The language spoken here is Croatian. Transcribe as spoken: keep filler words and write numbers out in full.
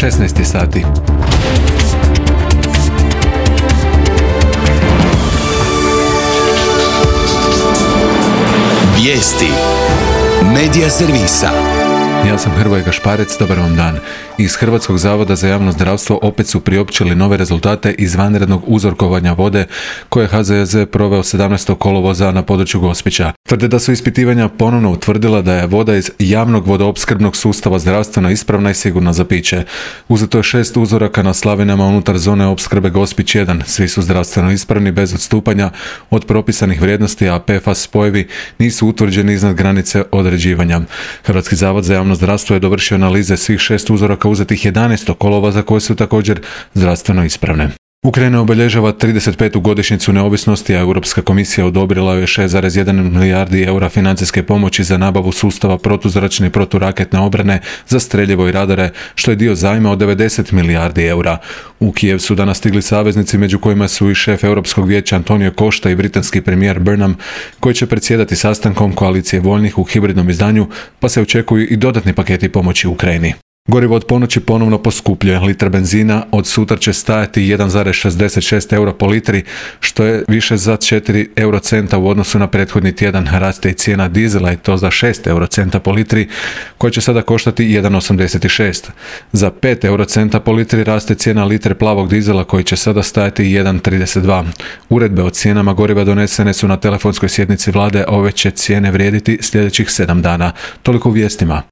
šesnaest sati. Vijesti Medija servisa. Ja sam Hrvoje Gašparec, dobar vam dan. Iz Hrvatskog zavoda za javno zdravstvo opet su priopćili nove rezultate izvanrednog uzorkovanja vode koje H Z Z proveo sedamnaestog kolovoza na području Gospića. Tvrde da su ispitivanja ponovno utvrdila da je voda iz javnog vodoopskrbnog sustava zdravstveno ispravna i sigurna za piće. Uzeto je šest uzoraka na slavinama unutar zone opskrbe Gospić jedan. Svi su zdravstveno ispravni bez odstupanja od propisanih vrijednosti, a P F A S spojevi nisu utvrđeni iznad granice određivanja. Hrvatski zavod za javno zdravstvo je dovršio analize svih šest uzoraka uzetih jedanaestog kolovoza koje su također zdravstveno ispravne. Ukrajina obilježava trideset petu godišnjicu neovisnosti, a Europska komisija odobrila je šest zarez jedan milijardi eura financijske pomoći za nabavu sustava protuzračne i proturaketne obrane za streljivo i radare, što je dio zajma od devedeset milijardi eura. U Kijev su danas stigli saveznici, među kojima su i šef Europskog vijeća Antonio Costa i britanski premijer Burnham, koji će predsjedati sastankom koalicije voljnih u hibridnom izdanju, pa se očekuju i dodatni paketi pomoći Ukrajini. Gorivo od ponoći ponovno poskupljuje. Litra benzina od sutra će stajati jedan zarez šezdeset šest eura po litri, što je više za četiri eurocenta u odnosu na prethodni tjedan. Raste i cijena dizela i to za šest eurocenta po litri, koja će sada koštati jedan zarez osamdeset šest. Za pet eurocenta po litri raste cijena litre plavog dizela, koji će sada stajati jedan zarez trideset dva. Uredbe o cijenama goriva donesene su na telefonskoj sjednici vlade, a ove će cijene vrijediti sljedećih sedam dana. Toliko u vijestima.